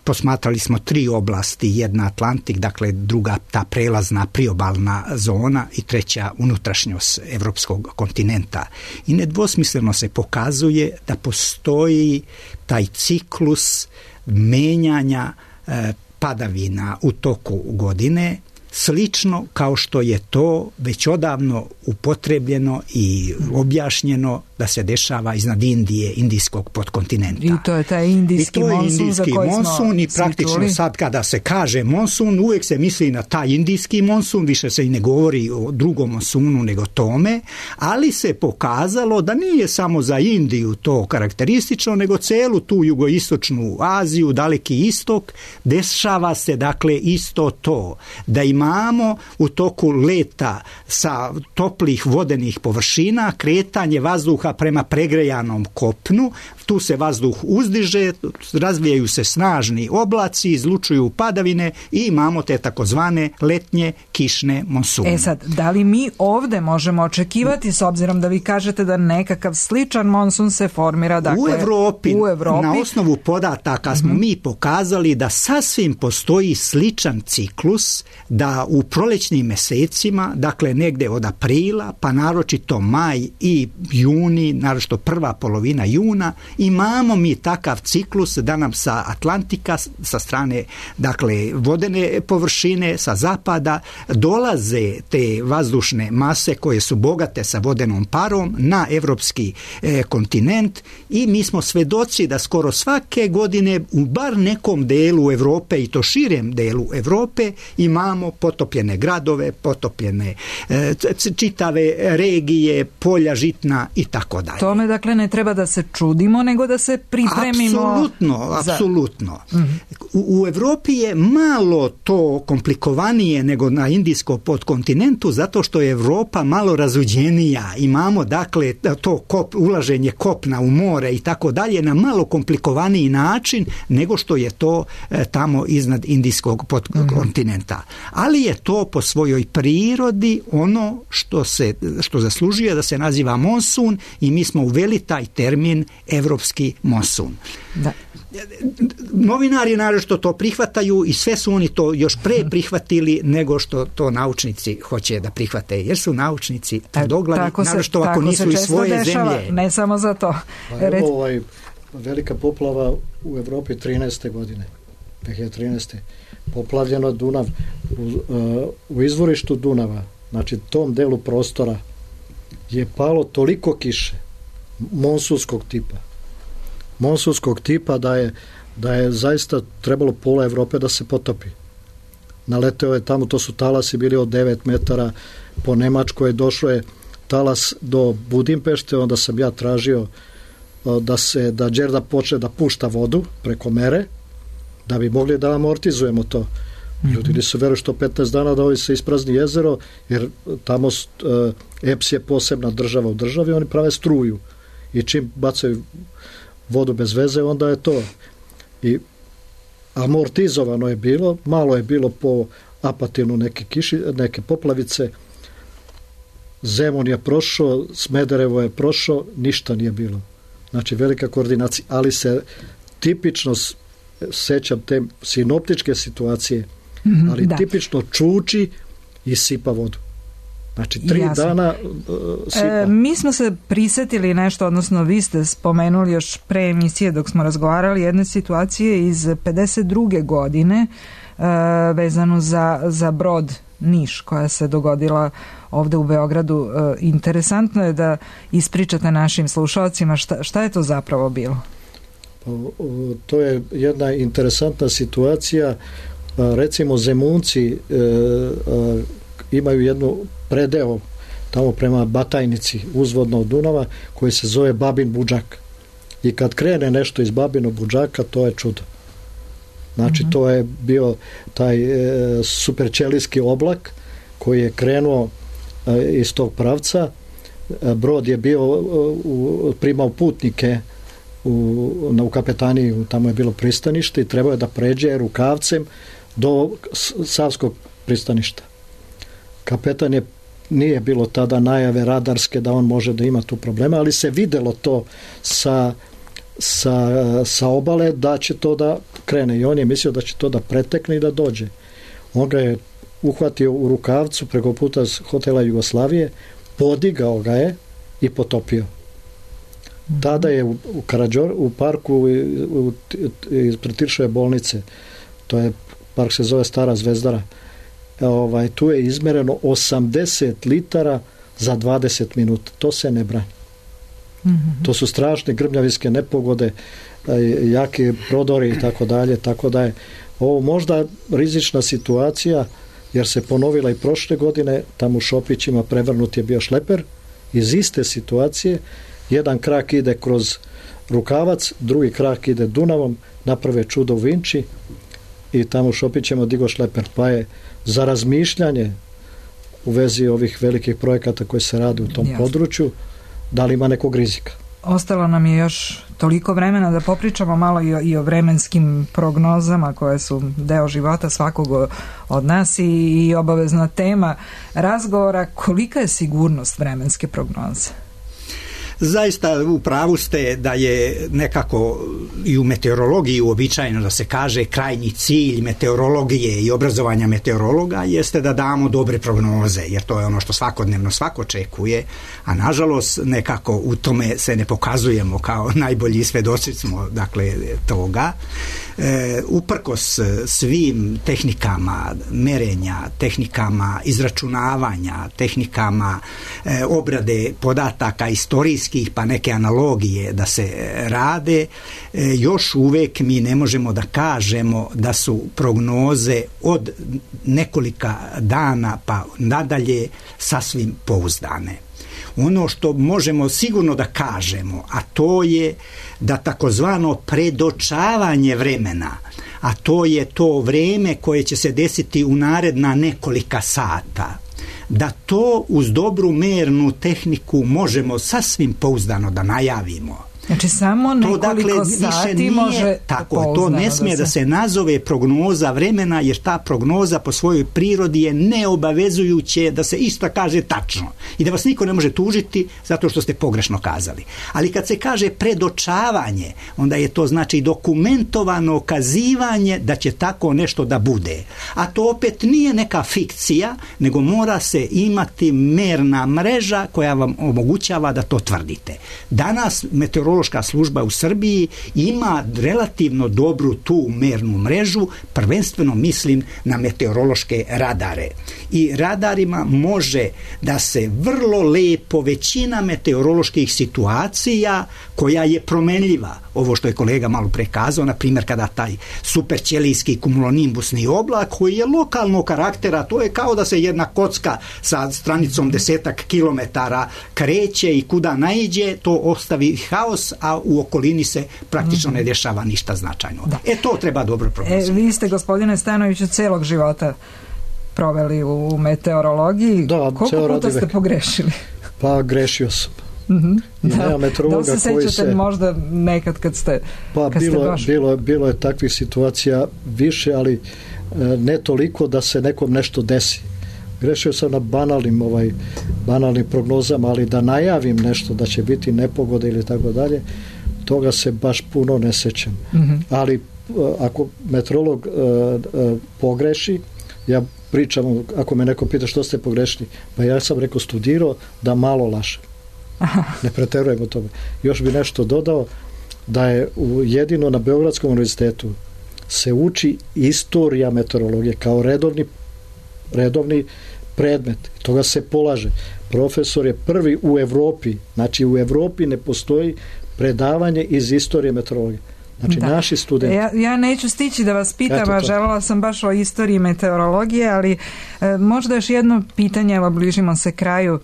Posmatrali smo tri oblasti, jedna Atlantik, dakle druga ta prelazna priobalna zona i treća unutrašnjost evropskog kontinenta. I nedvosmisleno se pokazuje da postoji taj ciklus menjanja e, padavina u toku godine, slično kao što je to već odavno upotrebljeno i objašnjeno da se dešava iznad Indije, indijskog podkontinenta. I to je taj indijski monsun. I to je indijski monsun i praktično sad kada se kaže monsun, uvijek se misli na taj indijski monsun, više se i ne govori o drugom monsunu nego tome, ali se pokazalo da nije samo za Indiju to karakteristično, nego celu tu jugoistočnu Aziju, Daleki istok, dešava se dakle isto to, da imamo u toku leta sa toplih vodenih površina kretanje vazduha prema pregrejanom kopnu, tu se vazduh uzdiže, razvijaju se snažni oblaci, izlučuju padavine i imamo te takozvane letnje kišne monsune. E sad, da li mi ovde možemo očekivati, s obzirom da vi kažete da nekakav sličan monsun se formira, dakle, u Evropi, u Evropi. Na osnovu podataka smo mm-hmm. mi pokazali da sasvim postoji sličan ciklus, da u prolećnim mesecima, dakle negde od aprila, pa naročito maj i juni, naročito prva polovina juna, imamo mi takav ciklus da nam sa Atlantika, sa strane dakle vodene površine, sa zapada dolaze te vazdušne mase koje su bogate sa vodenom parom na evropski e, kontinent i mi smo svedoci da skoro svake godine u bar nekom delu Evrope i to širem delu Evrope imamo potopljene gradove, potopljene e, čitave regije, polja žitna i tako dalje. Tome dakle ne treba da se čudimo, nego da se pripremimo. Apsolutno, za... apsolutno. Mm-hmm. U, u Evropi je malo to komplikovanije nego na indijskom podkontinentu, zato što je Evropa malo razuđenija. Imamo dakle to kop, ulaženje kopna u more i tako dalje na malo komplikovaniji način nego što je to e, tamo iznad indijskog podkontinenta. Mm-hmm. Ali je to po svojoj prirodi ono što se što zaslužuje da se naziva monsun i mi smo uveli taj termin evropski monsun. Da. Novinari naravno to prihvataju i sve su oni to još pre prihvatili nego što to naučnici hoće da prihvate, jer su naučnici tvrdoglavi, naravno ako nisu iz svoje dešava, zemlje. Ne samo za to. Pa evo ovaj velika poplava u Evropi trinaeste godine, dve hiljade trinaeste poplavljeno Dunav u, uh, u izvorištu Dunava, znači tom delu prostora je palo toliko kiše monsunskog tipa monsunskog tipa da je, da je zaista trebalo pola Evrope da se potopi. Naleteo je tamo, to su talasi bili od devet metara, po Nemačkoj došlo je talas do Budimpešte, onda sam ja tražio da se, da Đerda počne da pušta vodu preko mere, da bi mogli da amortizujemo to. Ljudi nisu veruju što petnaest dana da ovi se isprazni jezero, jer tamo uh, E P S je posebna država u državi, oni prave struju i čim bacaju vodu bez veze, onda je to. I amortizovano je bilo, malo je bilo po Apatinu neke, kiši, neke poplavice, Zemun je prošao, Smederevo je prošao, ništa nije bilo. Znači velika koordinacija, ali se tipično sećam te sinoptičke situacije, mm-hmm, ali da. Tipično čuči i sipa vodu. Znači, tri Jasno. dana uh, sipa. E, mi smo se prisetili nešto, odnosno vi ste spomenuli još pre emisije dok smo razgovarali jedne situacije iz pedeset druge godine uh, vezanu za, za brod Niš koja se dogodila ovde u Beogradu. Uh, interesantno je da ispričate našim slušalcima šta, šta je to zapravo bilo. Pa, to je jedna interesantna situacija. Recimo Zemunci uh, uh, imaju jednu predeo tamo prema Batajnici uzvodno od Dunava koji se zove Babin Budžak i kad krene nešto iz Babinog Budžaka to je čudo. Znači mm-hmm. to je bio taj e, superćelijski oblak koji je krenuo e, iz tog pravca. E, brod je bio u, primao putnike u, na, u kapetaniji, tamo je bilo pristanište i trebao je da pređe rukavcem do Savskog pristaništa. Kapetan je, nije bilo tada najave radarske da on može da ima tu problema, ali se videlo to sa, sa, sa obale da će to da krene i on je mislio da će to da pretekne i da dođe. On ga je uhvatio u rukavcu preko puta hotela Jugoslavije, podigao ga je i potopio. Tada je u, u, Karađor, u parku ispred Tiršove bolnice, to je park se zove Stara Zvezdara, ovaj, tu je izmereno osamdeset litara za dvadeset minuta. To se ne brani. Mm-hmm. To su strašne grmljavinske nepogode, jaki prodori i tako dalje, tako da je ovo možda rizična situacija jer se ponovila i prošle godine, tamo u Šopićima prevrnut je bio šleper iz iste situacije, jedan krak ide kroz rukavac, drugi krak ide Dunavom, naprave čudo u Vinči i tamo u Šopićima digo šleper, pa je za razmišljanje u vezi ovih velikih projekata koji se rade u tom Jasne. području, da li ima nekog rizika. Ostalo nam je još toliko vremena da popričamo malo i o, i o vremenskim prognozama koje su deo života svakog od nas i, i obavezna tema razgovora. Kolika je sigurnost vremenske prognoze? Zaista u pravu ste da je nekako i u meteorologiji uobičajeno da se kaže krajnji cilj meteorologije i obrazovanja meteorologa jeste da damo dobre prognoze, jer to je ono što svakodnevno svako očekuje, a nažalost nekako u tome se ne pokazujemo kao najbolji svedoci smo dakle toga. E, uprkos svim tehnikama merenja, tehnikama izračunavanja, tehnikama e, obrade podataka istorijskih pa neke analogije da se rade, e, još uvek mi ne možemo da kažemo da su prognoze od nekolika dana pa nadalje sasvim pouzdane. Ono što možemo sigurno da kažemo, a to je da takozvano predočavanje vremena, a to je to vreme koje će se desiti u naredna nekolika sata, da to uz dobru mernu tehniku možemo sasvim pouzdano da najavimo. Znači samo nekoliko to, dakle, sati nije, može tako, to ne smije da se... da se nazove prognoza vremena, jer ta prognoza po svojoj prirodi je neobavezujuće da se isto kaže tačno i da vas niko ne može tužiti zato što ste pogrešno kazali. Ali kad se kaže predočavanje, onda je to znači dokumentovano okazivanje da će tako nešto da bude. A to opet nije neka fikcija, nego mora se imati merna mreža koja vam omogućava da to tvrdite. Danas meteorološka služba u Srbiji ima relativno dobru tu mernu mrežu, prvenstveno mislim na meteorološke radare. I radarima može da se vrlo lepo većina meteoroloških situacija koja je promenljiva, ovo što je kolega malo prekazao, na primjer kada taj superćelijski kumulonimbusni oblak koji je lokalnog karaktera, to je kao da se jedna kocka sa stranicom desetak kilometara kreće i kuda naiđe, to ostavi haos, a u okolini se praktično ne dešava ništa značajno. Da. E to treba dobro prognozirati. E, vi ste, gospodine Stanoviću, celog života proveli u meteorologiji. Da, koliko puta ste pogrešili? Pa grešio sam. Mm-hmm. Da, da li se sećate se... možda nekad kad ste pa kad bilo, ste došli? Bilo, bilo je takvih situacija više, ali ne toliko da se nekom nešto desi. Grešio sam na banalnim, ovaj, banalnim prognozama, ali da najavim nešto da će biti nepogode ili tako dalje, toga se baš puno ne sećam. Mm-hmm. Ali ako meteorolog pogreši, ja pričam, ako me neko pita što ste pogrešili, pa ja sam rekao studirao da malo lažem. Ne preterujem u tome. Još bi nešto dodao, da je u, jedino na Beogradskom univerzitetu se uči istorija meteorologije kao redovni, redovni predmet. Toga se polaže. Profesor je prvi u Evropi, znači u Evropi ne postoji predavanje iz istorije meteorologije. Znači, da. Naši studenti. Ja, ja neću stići da vas pitam, a želela sam baš o istoriji meteorologije, ali e, možda još jedno pitanje, evo bližimo se kraju e,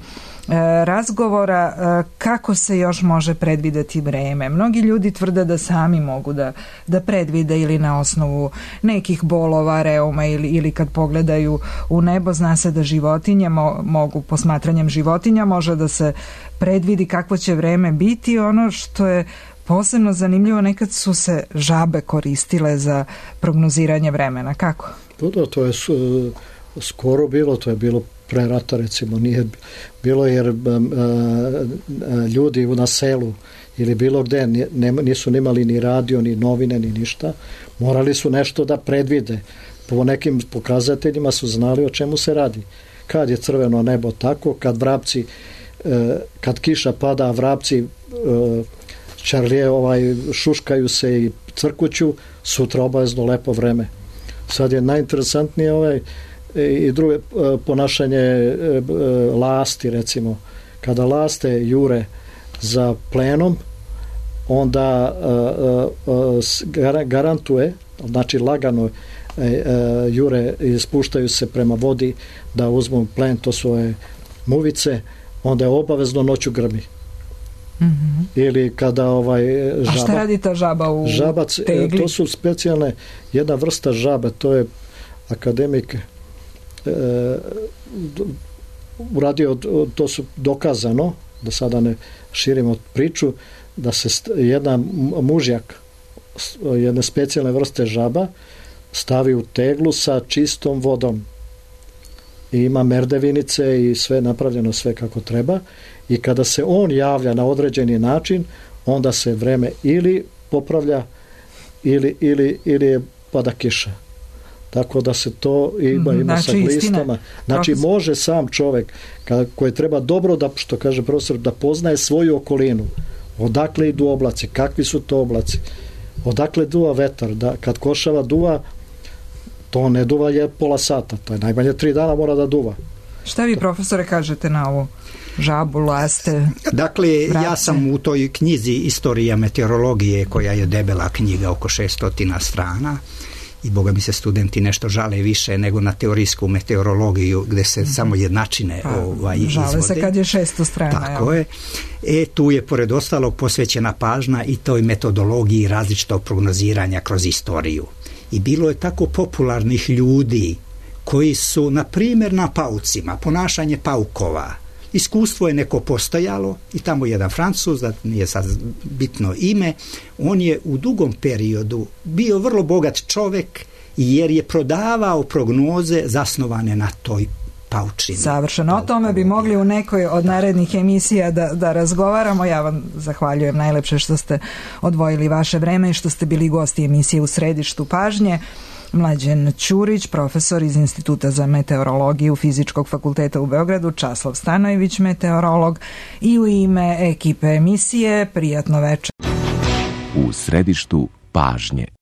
razgovora, e, kako se još može predvideti vreme? Mnogi ljudi tvrde da sami mogu da, da predvide ili na osnovu nekih bolova, reuma ili, ili kad pogledaju u nebo, zna se da životinje mo, mogu, posmatranjem životinja može da se predvidi kakvo će vreme biti. Ono što je posebno zanimljivo, nekad su se žabe koristile za prognoziranje vremena. Kako? Da, to je skoro bilo, to je bilo pre rata, recimo, nije bilo jer a, a, ljudi na selu ili bilo gde ne, nisu nimali ni radio, ni novine, ni ništa. Morali su nešto da predvide. Po nekim pokazateljima su znali o čemu se radi. Kad je crveno nebo tako, kad vrapci, e, kad kiša pada, vrapci e, čarlije ovaj, šuškaju se i crkuću, sutra obavezno lepo vreme. Sad je najinteresantnije ovaj, i druge ponašanje lasti, recimo. Kada laste jure za plenom, onda garantuje, znači lagano jure i spuštaju se prema vodi da uzmu plen, to svoje muvice, onda je obavezno noću grmi. Mm-hmm. Ili kada ovaj žaba, a šta radi ta žaba u žabac, tegli? To su specijalne, jedna vrsta žabe, to je akademik e, uradio, to su dokazano, da sada ne širimo priču, da se jedna mužjak jedne specijalne vrste žaba stavi u teglu sa čistom vodom i ima merdevinice i sve napravljeno sve kako treba, i kada se on javlja na određeni način, onda se vreme ili popravlja ili, ili, ili pada kiša. Tako da se to ima, ima znači, sa glistama. Znači profesor, može sam čovjek koji treba dobro da, što kaže profesor, da poznaje svoju okolinu. Odakle idu oblaci, kakvi su to oblaci, odakle duva vetar, da kad košava duva, to ne duva je pola sata, to je najmanje tri dana mora da duva. Šta vi, profesore, kažete na ovo? Žabu, laste, dakle, vrapce. Ja sam u toj knjizi Istorija meteorologije, koja je debela knjiga, oko šesto strana, i boga mi se studenti nešto žale više nego na teorijsku meteorologiju, gde se mm-hmm. samo jednačine pa, ovaj, žale izvode. Se kad je šesto strana. Tako je. E, tu je pored ostalog posvećena pažnja i toj metodologiji različitog prognoziranja kroz istoriju. I bilo je tako popularnih ljudi koji su, na primjer, na paucima, ponašanje paukova, iskustvo je neko postojalo i tamo jedan Francuz, da nije sad bitno ime, on je u dugom periodu bio vrlo bogat čovjek jer je prodavao prognoze zasnovane na toj paučini. Savršeno. O tome bi mogli u nekoj od narednih emisija da, da razgovaramo. Ja vam zahvaljujem najlepše što ste odvojili vaše vreme i što ste bili gosti emisije U središtu pažnje. Mlađen Ćurić, profesor iz Instituta za meteorologiju Fizičkog fakulteta u Beogradu, Časlav Stanojević, meteorolog, i u ime ekipe emisije prijatno večer. U središtu pažnje.